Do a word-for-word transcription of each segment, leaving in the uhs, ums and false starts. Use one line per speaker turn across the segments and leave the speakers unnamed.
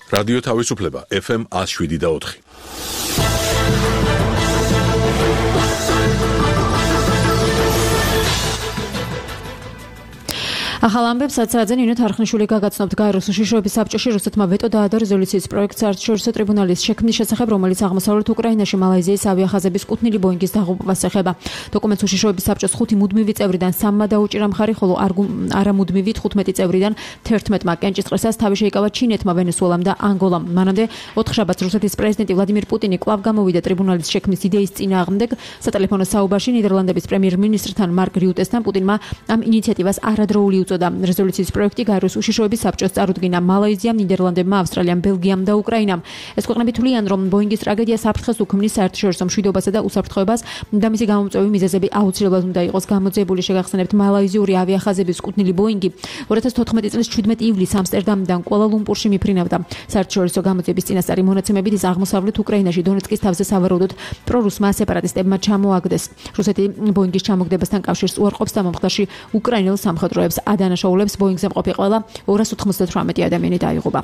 რადიო თავისუფლება ეფ ემ one oh seven და four.
ახალ ამბებს საცადზე ნინო თარხნიშვილი გაგაცნობთ გაეროს უშიშროების საბჭოში რუსეთმა ვეტო დაადო რეზოლუციის პროექტს საერთაშორისო ტრიბუნალის შექმნის შესახებ, რომელიც აღმოსავლეთ უკრაინაში მალაიზიის ავიახაზების კუთვნილი ბოინგის დაღუპვას ეხება. დოკუმენტს უშიშროების საბჭოს ხუთი მუდმივი წევრიდან სამმა დაუჭირა მხარი, ხოლო არამუდმივი თხუთმეტი წევრიდან თერთმეტმა კენჭისყრისას თავი შეიკავა ჩინეთმა, ვენესუელამ და ანგოლამ. მანამდე ოთხ შაბათს რუსეთის პრეზიდენტი ვლადიმირ პუტინი კვლავ გამოვიდა ტრიბუნალის შექმნის იდეის წინააღმდეგ. სატელეფონო საუბარში ნიდერლანდების პრემიერ-მინისტრთან მარკ რიუტესთან პუტინმა ამ ინიციატივას არადროული რეზოლუციის პროექტი გაეროს უშიშროების საბჭოს წარუდგინა მალაიზიამ, ნიდერლანდებმა, ავსტრალიამ, ბელგიამ და უკრაინამ. ეს ქვეყნები თვლიან, რომ ბოინგის ტრაგედია საფრთხეს უქმნის საერთაშორისო მშვიდობასა და უსაფრთხოებას და მისი გამომწვევი მიზეზები აუცილებლად უნდა იყოს გამოძიებული. შეგახსენებთ, მალაიზიური ავიახაზების კუთვნილი ბოინგი two thousand fourteen წლის seventeen ივლისს ამსტერდამიდან კუალა-ლუმპურში მიფრინავდა. საერთაშორისო გამოძიების წინასწარი მონაცემებით ის აღმოსავლეთ უკრაინაში დონეცკის თავზე სავარაუდოდ პრორუსმა სეპარატისტებმა ჩამოაგდეს. რუსეთი ბოინგის ჩამოგდებასთან კავშირს უარყოფს და მომხდარში უკრაინელ სამხედროებს დანაშაულებს ბოინგზე მყოფი ყველა two hundred ninety-eight ადამიანი დაიღუპა.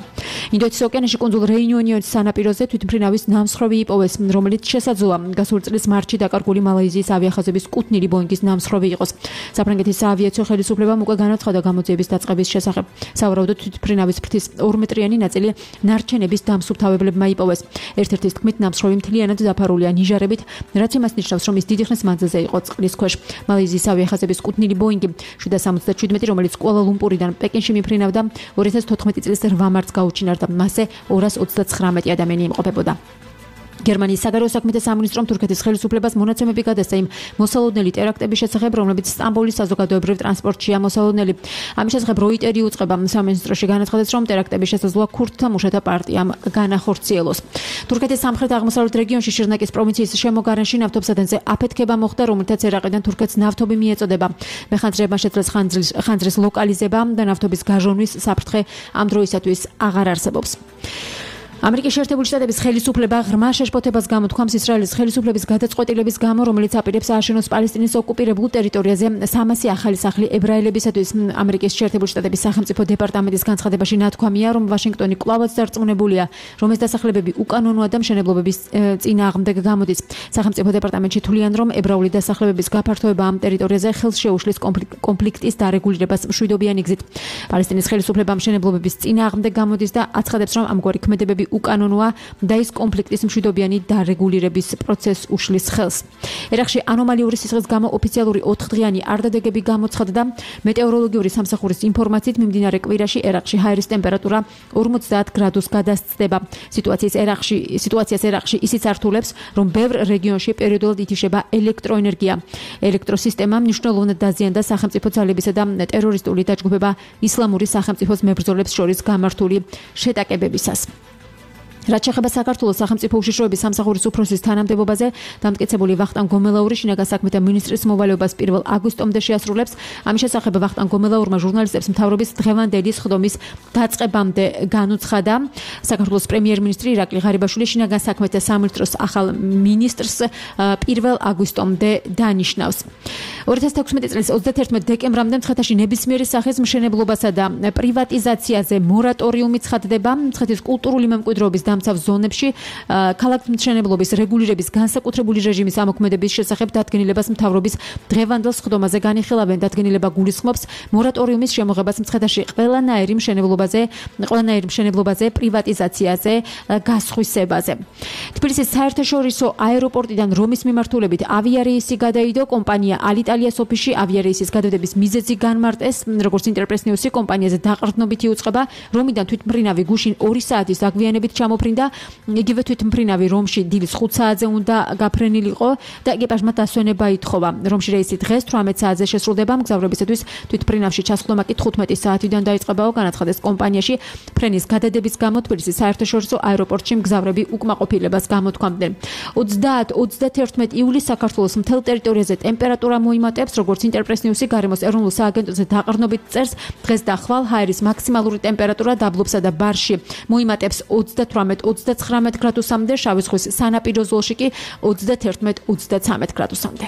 ინდოეთის ოკეანეში კუნძულ რეიუნიონის სანაპიროზე თვითმფრინავის ნამსხვრევი იპოვეს, რომელიც შესაძლოა გასული წლის მარტში დაკარგული მალაიზიის ავიახაზების კუთვნილი ბოინგის ნამსხვრევი იყოს. საფრანგეთის საავიაციო ხელისუფლებამ უკვე განაცხადა გამოძიების დაწყების შესახებ. სავარაუდოდ თვითმფრინავის ფრთის two მეტრიანი ნაწილი ნარჩენების დამსუფთავებლებმა იპოვეს. ერთ-ერთის თქმით, ნამსხვრევი მთლიანად დაფარულია ნიჟარებით, რაც იმას ნიშნავს, რომ ის დიდი ხნის მანძილზე იყო წყლის ქვეშ. მალაიზიის ავიახაზების კუთვნილი ბოინგი seven seventy-seven რომელიც კუალა-ლუმპურიდან პეკინში მიფრინავდა two thousand fourteen წლის eight მარტს გაუჩინარდა. მასზე two hundred thirty-nine ადამიანი იმყოფებოდა. გერმანიის საგარეო საქმეთა სამინისტრომ თურქეთის ხელისუფლებას მონაცემები გადასცა იმ მოსალოდნელი ტერაქტების შესახებ, რომლებიც სტამბოლის საზოგადოებრივ ტრანსპორტშია მოსალოდნელი. ამის შესახებ როიტერი უწყება სამინისტროში განაცხადებს, რომ ტერაქტების შესაძლოა ქურთთა მუშათა პარტიამ განახორციელოს. თურქეთის სამხრეთ-აღმოსავლეთ რეგიონში შირნაკის პროვინციის შემოგარენში ნავთობსადენზე აფეთქება მოხდა, რომელთაც ერაყიდან თურქეთს ნავთობი მიეწოდება. მეხანძრეებმა შეძლეს ხანძრის ლოკალიზება და ნავთობის გაჟონვის საფრთხე ამ დროისათვის აღარ არსებობს. ამერიკის შეერთებული შტატების ხელისუფლება ღრმა შეშფოთებას გამოთქვამს ისრაელის ხელისუფლების გადაწყვეტილების გამო, რომელიც აპირებს ააშენოს პალესტინის ოკუპირებულ ტერიტორიაზე სამასი ახალი სახლი ებრაელებისათვის. ამერიკის შეერთებული შტატების სახელმწიფო დეპარტამენტის განცხადებაში ნათქვამია, რომ ვაშინგტონი კვლავაც დარწმუნებულია, რომ ეს დასახლებები უკანონოა და მშენებლობების წინააღმდეგ გამოდის. სახელმწიფო დეპარტამენტში თვლიან, რომ ებრაული დასახლებების გაფართოება ამ ტერიტორიაზე ხელს შეუშლის კონფლიქტის დარეგულირებას მშვიდობიანი გზით. პალესტინის ხელისუფლება მშენებლობების წინააღმდეგ გამოდის და აცხადებს, რომ ამგვარი ქმედებები უკანონოა და ის კონფლიქტის მშვიდობიანი დარეგულირების პროცესს უშლის ხელს. ერაყში ანომალიური სისხლის გამო ოფიციალური ოთხდღიანი არდადეგები გამოცხადდა. მეტეოროლოგიური სამსახურის ინფორმაციით მიმდინარე კვირაში ერაყში ჰაერის ტემპერატურა forty გრადუსს გადასცდება. სიტუაციის ერაყში სიტუაციას ერაყში ისიც ართულებს, რომ ბევრ რეგიონში პერიოდულად ითიშება ელექტროენერგია. ელექტროსისტემა მნიშვნელოვნად დაზიანდა სახელმწიფო ძალებისა და ტერორისტული დაჯგუფება ისლამური სახელმწიფოს მებრძოლებს შორის გამართული შეტაკებებისას. რაც შეეხება საქართველოს სახელმწიფო უშიშროების სამსახურის უფროსის თანამდებობაზე, დამტკიცებული ვახტანგ გომელაური შინაგან საქმეთა მინისტრის მოვალეობას პირველ აგვისტომდე შეასრულებს. ამის შესახებ ვახტანგ გომელაურმა ჟურნალისტებს მთავრობის დღევანდელი სხდომის დაწყებამდე განუცხადა. საქართველოს პრემიერ-მინისტრი ირაკლი ღარიბაშვილი შინაგან საქმეთა სამინისტროს ახალ მინისტრს პირველ აგვისტომდე დანიშნავს. two thousand sixteen წლის thirty-one დეკემბრამდე მცხეთაში ნებისმიერი სახის მშენებლობასა და პრივატიზაციაზე მორატორიუმი ცხადდება. მცხეთის კულტურული მემკვიდრეობის დამცავ ზონებში ქალაქმშენებლობის რეგულირების განსაკუთრებული რეჟიმის ამოქმედების შესახებ დადგენილებას მთავრობის დღევანდელ სხდომაზე განიხილავენ. დადგენილება გულისხმობს მორატორიუმის შემოღებას მცხეთაში ყველანაირი მშენებლობაზე, ყველანაირი მშენებლობაზე, პრივატიზაციაზე, გასხვისებაზე. თბილისის საერთაშორისო აეროპორტიდან რომის მიმართულებით ავიარეისი გადაიდო. კომპანია ალიტალია სოფიში ავიარეისის გადადების მიზეზი განმარტეს. როგორც ინტერპრესნიუსი კომპანიაზე დაყრდნობითი უწყება, რომიდან თვითმფრინავი გუშინ ორი საათის დაგვიანებით ჩამოფრინდა. იგივე თვითმფრინავი რომში დილის ხუთ საათზე უნდა გაფრენილიყო და ეკიპაჟმა დასვენება ითხოვა. რომში რეისი დღეს თვრამეტ საათზე შესრულდება. მგზავრებისათვის თვითმფრინავში ჩასხდომა კი თხუთმეტი საათიდან დაიწყებაო. განაცხადეს კომპანიაში ფრენის გადადების გამო თბილისის საერთაშორისო აეროპორტში მგზავრები უკმაყოფილებას გამოთქვამდნენ. ოცდაათი ივლისს საქართველოს მთელ ტერიტორიაზე ტემპერატურა მოიმატებს, როგორც ინტერპრესნიუსი გარემოს ეროვნულ სააგენტოზე დაყრდნობით წერს. დღეს და ხვალ ჰაერის მაქსიმალური ტემპერატურა დაბლობსა და ბარში მოიმატებს ოცდათვრამეტ ოცდაცხრამეტ გრადუსამდე, შავი ზღვის სანაპირო ზოლში კი ოცდაათი ოცდაცამეტ გრადუსამდე.